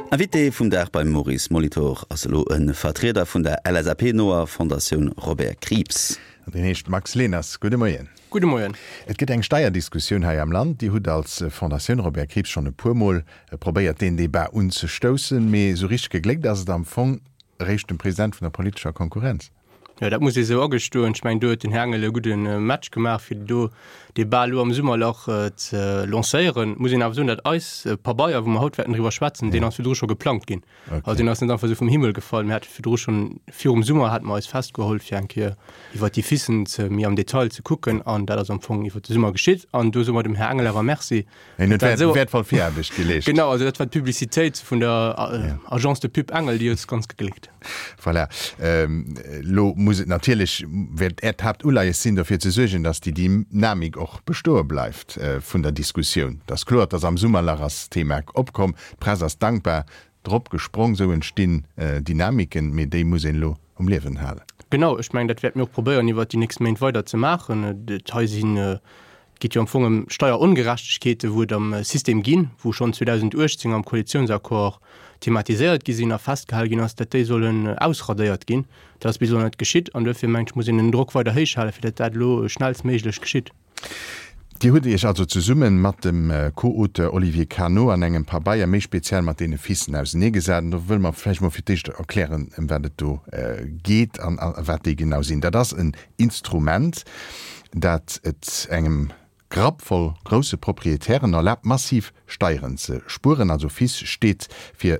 Invité vum Dag beim Maurice Molitor ass elo e Vertrieder vun der LSAP-noer Fondatioun Robert Krieps. An deen heescht Max Leners. Gudde Moien. Gudde Moien. Et gëtt eng Steierdiskussioun hei am Land. Dir hutt als Fondatioun Robert Krieps schonn e puermol probéiert, deen Debat unzestoussen, mee esou richteg gegléckt ass et am Fong eréischt dem President vun der politescher Konkurrenz. Jo, dat muss ee sou agestoen. Ech mengen, do huet den Här Engel e gudde Match gemaach, fir do dee Bal elo am Summerlach ze lancéieren. Muss een awer soen, datt eis Pabeier, wou mer haut wäerten driwwer schwätzen, deen ass virdru scho geplangt ginn. Also deen ass net einfach esou vum Himmel gefall. Mir hate virdru schonn, virum Summer hate mer eis festgeholl, fir eng Kéier iwwert déi Fissen ze méi am Detail ze kucken. An dat ass am Fong iwwert de Summer geschitt. An do soe mer dem Här Engel awer Merci, En huet wäert, wäertvoll Viraarbecht geleescht. Genau, also dat war d'Publicitéit vun der Agence de Pub Engel, déi huet es ganz gegléckt. Voilà. Elo muss et natierlech, wäert Äert Haaptuleies sinn, dofir ze suergen, datt déi Dynamik och bestoe bleift vun der Diskussioun. Et ass kloer, et ass am Summerlach ass d'Thema opkomm, d'Press ass dankbar drop gesprong, esou entstinn Dynamiken, mee déi muss een elo um Liewen halen. Genau, ech mengen, dat wäerte mir och probéieren iwwert déi nächst Méint weider ze maachen. Et hei sinn Et geet jo am Fong ëm Steierongerechtegkeeten, wou et am System ginn, wou schonn 2018 am Koalitionsaccord thematiséiert gi sinn a festgehale ginn ass, datt déi sollen ausradéiert ginn. Dat ass bis elo net geschitt an duerfir mengen ech, muss een den Drock weider héich halen, fir datt dat elo schnellstméiglech geschitt. Dir hutt Iech also zesumme mat dem Co-Auteur Olivier Cano an engem Pabeier méi speziell mat deene Fissen auseneegesat. An do wëlle mer vläicht mol fir d'éischt erklären, ëm wat et do geet an wat déi genau sinn. Dat ass en Instrument, dat et engem Grapp voll grousse Proprietären erlaabt, massiv Steieren ze spueren. Also FIS steet fir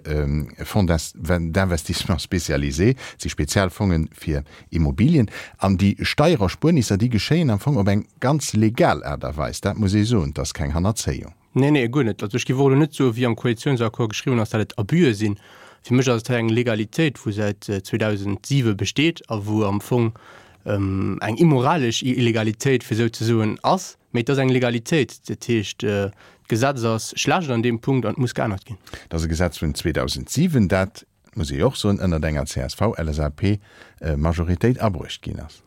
Fonds d'investissement spécialisé, et si Spezialfonge fir Immobilien. An déi Steiererspuernisser, déi geschéien am Fong op eng ganz legal Aart a Weis, dat muss ee soen, et ass keng Hannerzéiung. Nee, nee, guer net. Also ech géif och elo net soen, wéi am Koalitionsaccord geschriwwen ass, datt et Abüe sinn. Fir mech ass et hei eng Legalitéit, wou säit 2007 besteet a wou am Fong eng immoralesch Illegalitéit, fir esou ze soen, ass. Mee et ass eng Legalitéit. Dat heescht, d'Gesetz ass schlecht an deem Punkt an et muss geännert ginn. Et ass e Gesetz vun 2007, dat, muss ee jo och soen, ënnert enger CSV-LSAP-Majoritéit abruecht ginn ass.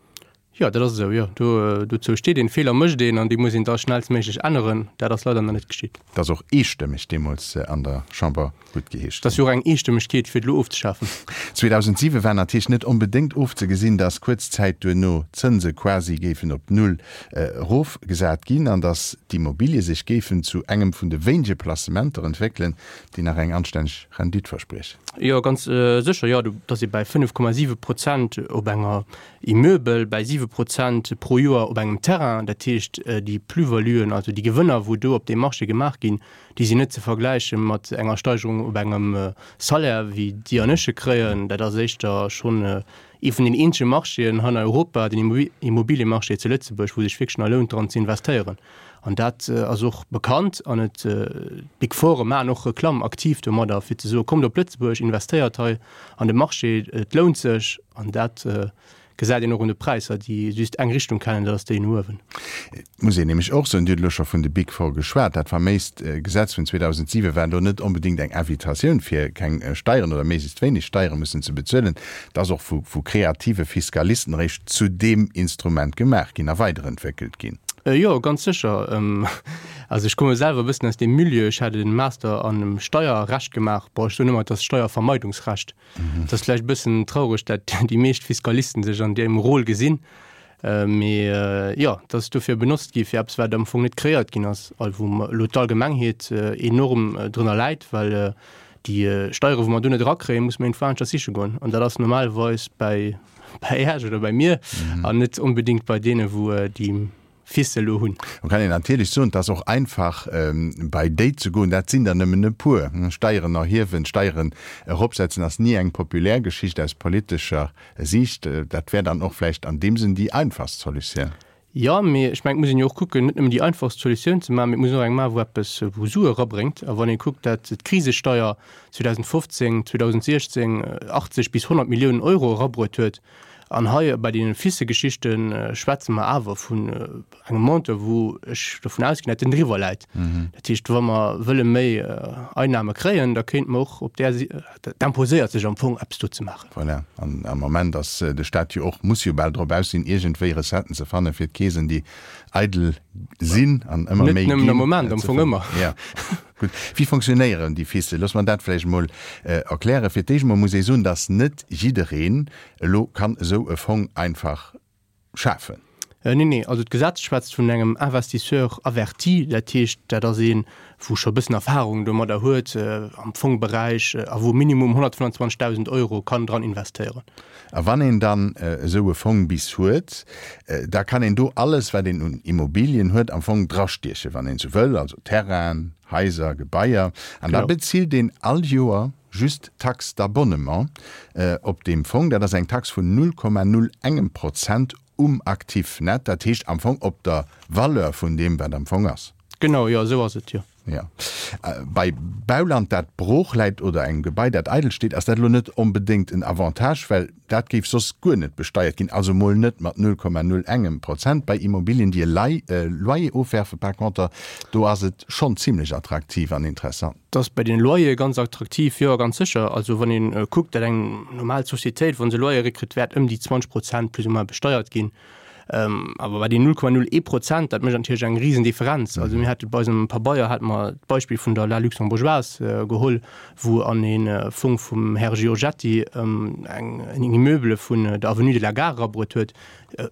Jo, dat ass esou, jo. Do, dozou steet een. Feeler mécht een an déi muss een da schnellstméiglech änneren. Dat ass leider nach net geschitt. Et ass och eestëmmeg deemools an der Chamber guttgeheescht ginn. Et ass jo och eng Eestëmmegkeet, fir et elo ofzeschafen. 2007 war natierlech net onbedéngt ofzegesinn, datt kuerz Zäit duerno d'Zënse quasi géifen op Null erofgesat ginn an datt d'Immobilie sech géifen zu engem vun de wéinege Placementer entwéckelen, déi nach eng anstänneg Rendite verspriechen. Jo, ganz sécher, jo. Do ass ee bäi 5,7 Prozent op enger Immeubel bäi 7 Prozent pro Joer op engem Terrain. Dat heescht, déi Plus-valuen, also déi Gewënner, wou do op deem Marché gemaach ginn, déi sinn net ze vergläiche mat enger Steigerung op engem Salaire, wéi Dir an ech e kréien. Dat ass éischter schonn ee vun den eenzege Marchéen hei an Europa, den Immobiliemarché zu Lëtzebuerg, wou sech wierklech nach lount dran ze investéieren. An dat ass och bekannt an et, d'Big Foure maachen och Reklamm aktiv domadder, fir ze soen, Kommt op Lëtzebuerg, investéiert hei an de Marché, et lount sech. An dat gesäit een och un de Präisser, déi just eng Richtung kennen, dat ass déi no uewen. Et muss een nämlech och soen, Dir hutt elo scho vun de Big Four geschwat, dat faméist Gesetz vun 2007 war do net onbedéngt eng Invitatioun, fir keng Steieren oder méiglechst wéineg Steiere mussen ze bezuelen. Et ass och vu kreative Fiskalisten eréischt zu deem Instrument gemaach ginn a weiderentwéckelt ginn. Jo, ganz sécher. Also ech komme selwer e bëssen aus deem Milieu. Ech hat e Master an Steierrecht gemaach. Bon, ech soen ëmmer, et ass Steiervermeidungsrecht. Et ass vläicht e bëssen traureg, dat déi meescht Fiskalisten sech an deem Rôle gesinn, mee jo, et ass dofir benotzt gi fir eppes, wat am Fong net kreéiert ginn ass a wou elo d'Allgemengheet enorm drënner läit, well déi Steiere wou mer do net erakréien, musse mer iergendwou aneschters siche goen an dat ass normalerweis bäi bäi Iech oder bäi mir an net onbedéngt bei deene wou déi Fils elo hunn. Lo kann een natierlech soen, et ass och einfach bei déi ze goen, dat sinn der nëmmen e puer. Steieren erhiewen, Steieren eropsetzen ass ni eng populär Geschicht aus politescher Siicht. Dat wär dann och vläicht an deem Sënn déi einfachst Solutioun. Jo, mee ech mengen, et muss een jo och kucken, net nëmmen déi einfachst Solutioun ze maachen, mee et muss een och eng maachen, wou eppes, wou Sue erabréngt. A wann ee kuckt, dat d'Krisesteier 2015, 2016 80 bis 100 Milliounen Euro erabruet huet, An hei bei deene Fisse-Geschichte schwätze mer awer vun engem Montant, wou ech dovun ausginn, datt en driwwer läit. Dat heescht, wa mer wëlle méi Einnahme kréien, da kéinte mer och op där, dat imposéiert sech am Fong, eppes do ze maachen. Voilà. An am Moment ass de Stat jo och, muss jo bal drop aus sinn, iergendwéi Recetten ze fannen, fir d'Keesen, déi eidel sinn an ëmmer méi ginn. Net nëmmen am Moment, am Fong ëmmer. Jo. Gutt. Wéi fonctionnéieren déi FISe? Looss mer dat vläicht emol erklären. Fir d'éischt emol muss ee soen, dass net jiddereen elo kann esou e Fong einfach schafen. Nee, nee, also d'Gesetz schwätzt vun engem Investisseur averti, dat heescht, dat ass een, wou scho e bëssen Erfahrung domadder huet am Fongberäich a wou minimum 125.000 Euro kann dran investéieren. A wann een dann esou e Fong bis huet, da kann een do alles, wat een un Immobilien huet, am Fong drastiechen, wann een esou wëll, also Terrainen, Haiser, Gebaier. An da bezilt een all Joer just d'Taxe d'abonnement op deem Fong. Dat ass eng Tax vun 0,01 Prozent um Actif net, dat heescht am Fong op der Valeur vun deem, wat am Fong ass. Genau, jo, esou ass et, jo. Jo. Bei Bauland, dat brooch läit oder engem Gebai, dat eidel steet, ass dat elo net onbedéngt en Avantage, well dat géif soss guer net besteiert ginn, also mol net mat 0,01 Prozent. Bei Immobilien, déi e Loyer ofwerfen, par conter, do ass et schonn zimlech attraktiv an interessant. Dat ass bei den Loyere ganz attraktiv, jo, ganz sécher. Also wann ee kuckt, datt eng normal Societéit, wa se Loyere kritt, wäert ëm déi 20 Prozent plus ou moins besteiert ginn. Awer bei den 0,01 Prozent, dat mécht natierlech eng Risendifferenz. Also mir hate bei eisem Pabeier hate mer d'Beispill vun der La Luxembourgeoise geholl, wou an ee Fong vum Här Giorgetti eng en Immeuble vun der Avenue de la Gare erabruet huet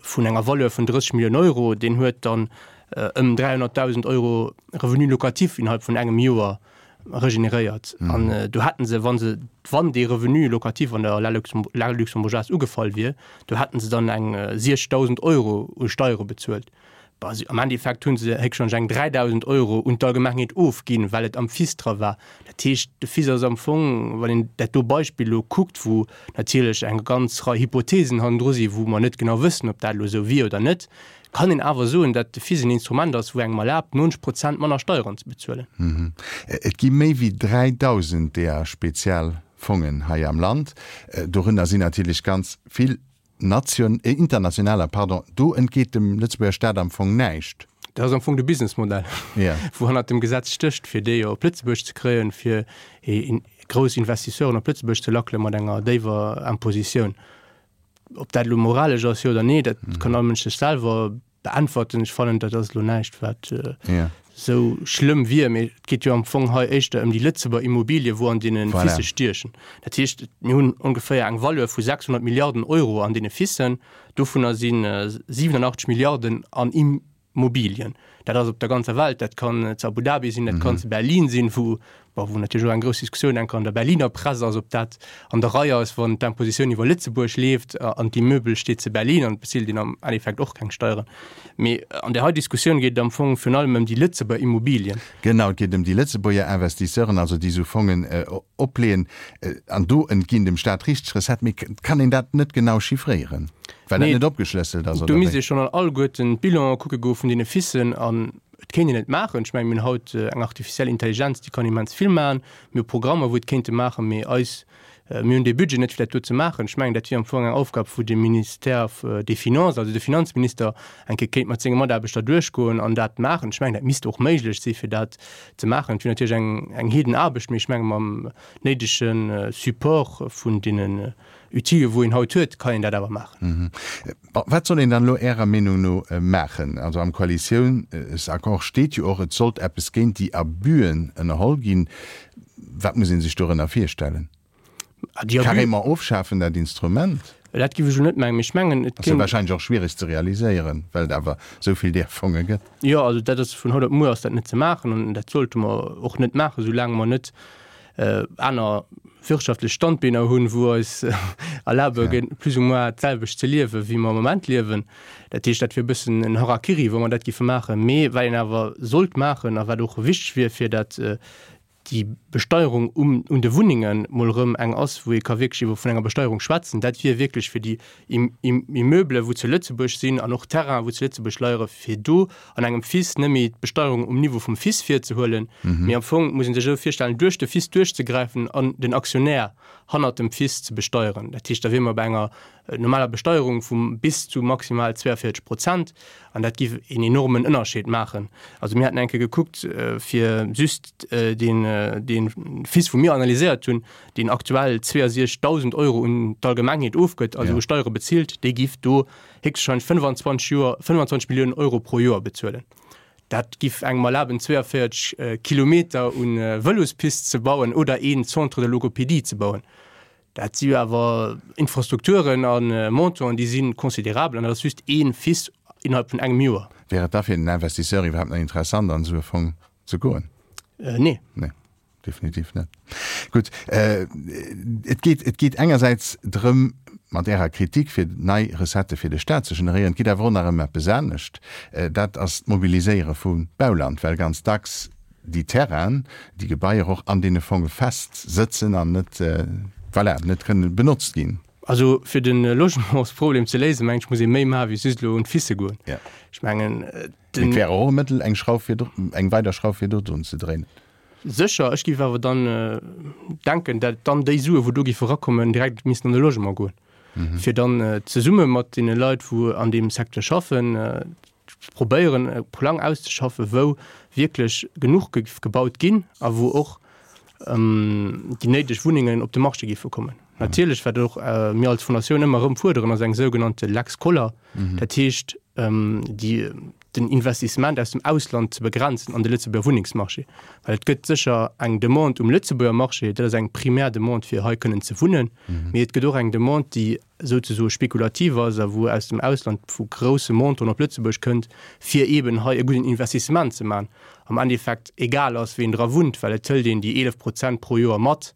vun enger Valeur vun 30 Milliounen Euro. Deen huet dann ëm 300.000 Euro Revenu locatif innerhalb vun engem Joer regeneréiert. An do hätten se, wa se, wann dee Revenu locatif an der La Luxembourgeoise ugefall wier, do hätten se dann eng 60.000 Euro u Steiere bezuelt. Bon, si, am Endeffekt hu se héchstwahrscheinlech eng 3.000 Euro un d'Allgemengheet ofginn, well et am FIS dra war. Dat heescht, de FIS ass am Fong, wann een dat do Beispill elo kuckt, wou natierlech eng ganz Rei Hypothesen hannendru sinn, wou mer net genau wëssen, ob dat elo esou wier oder net, kann een awer soen, dat de FIS en Instrument ass, wou engem erlaabt, 90 Prozent manner Steieren ze bezuelen. Et gi méi wéi 3.000 deeër Spezialfongen hei am Land. Dorënner sinn natierlech ganz vill nation, internationaler, pardon. Do entgeet dem Lëtzebuerger Staat am Fong näischt. Dat ass am Fong de Businessmodell, wou hannert dem Gesetz stécht, fir déi op Lëtzebuerg ze kréien, fir grouss Investisseuren op Lëtzebuerg ze lackele mat enger déiwer Impositioun. Ob dat elo moralesch ass, jo oder nee, dat kann all Mënsch sech selwer beäntwerten. Ech fannen, dat ass elo näischt, wat esou schlëmm wier. Mee et geet jo am Fong hei éischter ëm déi Lëtzebuerger Immobilie, wou an deene Fisse stiechen. Dat heescht, mir hunn ongeféier eng Valeur vu 600 Milliarden Euro an deene Fissen. Dovunner si 87 Milliarden an Immobilien. Dat ass op der ganzer Welt, dat kann zu Abu Dhabi sinn, dat kann zu Berlin sinn, wou, bon, wou natierlech och eng grouss Diskussioun enker an der Berliner Press ass, ob dat an der Rei ass, wann d'Impositioun iwwer Lëtzebuerg leeft an d'Immeuble steet zu Berlin an et bezilt een am Endeffekt och keng Steieren. Mee an där hei Diskussioun geet et am Fong virun allem ëm déi Lëtzebuerger Immobilien. Genau, et geet ëm déi Lëtzebuerger Investisseuren, also déi esou Fongen opleeën. An do entginn dem Staat richteg Recetten. Mee kann een dat net genau chiffréieren, well dat net opgeschlësselt ass, oder wéi? Do misst ee schonn an alleguerten d'Bilanen kucke goe vun deene Fissen. An et kéint een et maachen. Ech mengen, mir hunn haut eng artificielle Intelligenz, déi kann immens vill maachen. Mir hu Programmer, wou et kéinte maachen. Mee eis Mir hunn dee Budget net, fir dat do ze maachen. Ech mengen, dat wier am Fong eng Aufgab, wou de Ministère des Finances, also de Finanzminister, eng Kéier kéint mat senge Mataarbechter duerchgoen an dat maachen. Ech mengen, dat misst och méiglech si fir dat ze maachen. Et wier natierlech eng, eng Heedenaarbecht, mee ech menge mam néidege Support vun deenen Outile wou een haut huet, kann een dat awer maachen. Bon, wat soll een dann elo Ärer Meenung no maachen? Also am Koalitiounsaccord steet jo och, et sollt eppes géint déi Abüen ënnerholl ginn. Wat muss ee sech dorënner virstellen? Carrément ofschafen dat Instrument? Dat géif ech elo net mengen, mee ech mengen, et kéint. Ass jo warscheinlech och schwiereg ze realiséieren, well et awer esou vill där Fonge gëtt. Jo, also dat ass vun haut op muer ass dat net ze maachen an dat sollte mer och net maachen, soulaang mer net aner wirtschaftlech Standbeener hunn, wou eis erlabe plus ou moins d'selwecht ze liewen, wéi mer am Moment liewen. Dat heescht, dat wier e bëssen en Harakiri, wa mer dat géife maachen. Mee wat een awer sollt maachen a wat och wichteg wier, fir dat déi Besteierung um un de Wunnenge mol erëm eng ass, wou ee ka wierklech iwwer vun enger Besteierung schwätzen, dat wier wierklech fir déi Immeublen, wou zu Lëtzebuerg sinn an och Terrainen, wou zu Lëtzebuerg leiere, fir do an engem FIS net méi d'Besteierung um Niveau vum FIS virzehuelen, mee am Fong muss ee sech esou virstellen, duerch de FIS duerchzegräifen an den Aktionär hannert dem FIS ze besteieren. Dat heescht, da wiere mer bei enger normaler Besteierung vu bis zu maximal 42 Prozent an dat giff een enormen Ënnerscheed maachen. Also mir haten eng Kéier gekuckt, fir just deen, dee FIS, wou mir analyséiert hunn, deen aktuell 62.000 Euro un d'Allgemengheet ofgëtt, also u Steiere bezilt, dee giff do héchstwahrscheinlech 25 Joer, 25 Milliounen Euro pro Joer bezuelen. Dat giff engem erlaben 42 Kilometer un Vëlospist ze bauen oder een Centre de logopédie ze bauen. Dat si jo awer Infrastrukturen a Montanten, déi si considerabel an dat ass just ee Fils innerhalb vun engem Joer. Wär et da fir den Investisseur iwwerhaapt nach interessant an esou e Fong ze goen? Nee. Nee, definitiv net. Gutt, et geet, et geet engersäits drëm, mat Ärer Kritik, fir nei Recettë fir de Staat ze generéieren. Et geet awer och nach ëm eppes anescht, dat ass d'Mobiliséiere vu Bauland, well ganz dacks déi Terrainen, déi Gebaier och an deene Fonge fest sëtzen an net, voilà, net kënnen benotzt ginn. Also fir de Logementsproblem ze léisen, mengen ech, muss ee méi maache wéi just elo un d'Fisse goen. Ech mengen, den. Et wär och e Mëttel, eng Schrauf fir, eng weider Schrauf fir do drun ze dréinen. Sécher, ech géif awer dann denken, dat dann déi Sue wou do géife erakommen, direkt missten an de Logement goen, fir dann zesumme mat deene Leit, wou an deem Secteur schaffen, probéieren e Plang auszeschaffen, wou wierklech genuch géif gebaut ginn a wou och déi néideg Wunnengen op de Marché géife kommen. Natierlech, wat och mir als Fondatioun ëmmer erëm fuerderen, ass eng sougenannte Lex Koller, dat heescht déi, den Investissement aus dem Ausland ze begrenzen an de Lëtzebuerger Wunnengsmarché. Well et gëtt sécher eng Demande um Lëtzebuerger Marché, dat ass eng primär Demande fir hei kënnen ze wunnen, mee et gëtt och eng Demande, déi souzesoe spekulativ ass a wou aus dem Ausland vu grousse Montanten op Lëtzebuerg kënnt, fir eeben hei e gudden Investissement ze maachen. Am Endeffekt egal ass, ween dra wunnt, well et hëlt een déi 11 Prozent pro Joer mat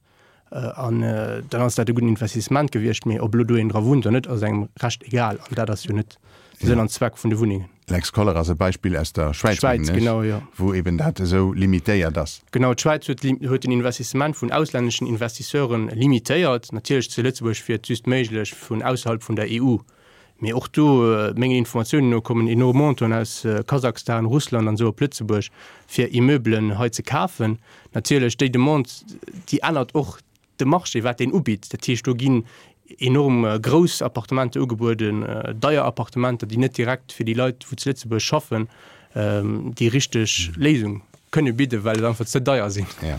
an dann ass dat e gudden Investissement gewiescht. Mee ob elo do een dra wunnt oder net, ass engem recht egal an dat ass jo net de Sënn an Zweck vun de Wunnengen. Lex Koller ass e Beispill aus der Schwäiz, mengen ech, genau, jo. wou eben dat esou limitéiert ass. Genau, d'Schwäiz huet, huet den Investissement vun auslänneschen Investisseure limitéiert. Natierlech zu Lëtzebuerg wier et just méiglech vun ausserhalb vun der EU. Mee och do, mengen Informatiounen no, kommen enorm Montanten aus Kasachstan, Russland an esou op Lëtzebuerg, fir Immeubelen hei ze kafen. Natierlech, déi Demande, déi ännert och de Marché, wat deen ubitt. Dat heescht, do ginn enorm grouss Appartementer ugebueden, deier Appartementer, déi net direkt fir déi Leit, wou zu Lëtzebuerg schaffen, déi richteg Léisung kënne bidden, well et einfach ze deier sinn. Jo.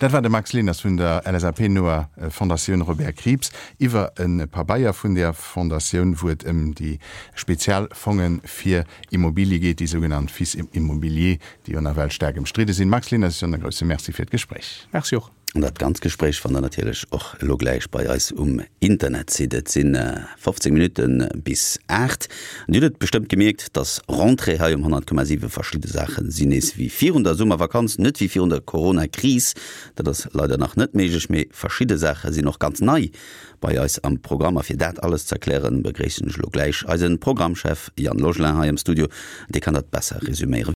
Dat war de Max Leners vun der LSAP-noer Fondatioun Robert Krieps iwwer e Pabeier vun där Fondatioun, wou et ëm déi spezial Fonge fir Immobilie geet, déi sougenannt Fis immobilier, déi jo nawell staark ëmstridde sinn. Max Leners, ech soen e grousse Merci fir d'Gespréich. Merci och. An dat ganzt Gespréich fannt der natierlech och elo gläich bei eis um Internetsite. Et sinn 15 Minutte bis 8. An Dir hutt et bestëmmt gemierkt, dass Rentrée hei um 100,7 verschidde Saache sinn nees wéi virun der Summervakanz, net wéi virun der Corona-Kris. Dat ass leider nach net méiglech, mee verschidde Saache sinn och ganz nei bei eis am Programm. A fir dat alles ze erklären, begréissen ech elo gläich eise Programmchef Yann Logelin hei am Studio. Dee kann dat besser resüméieren.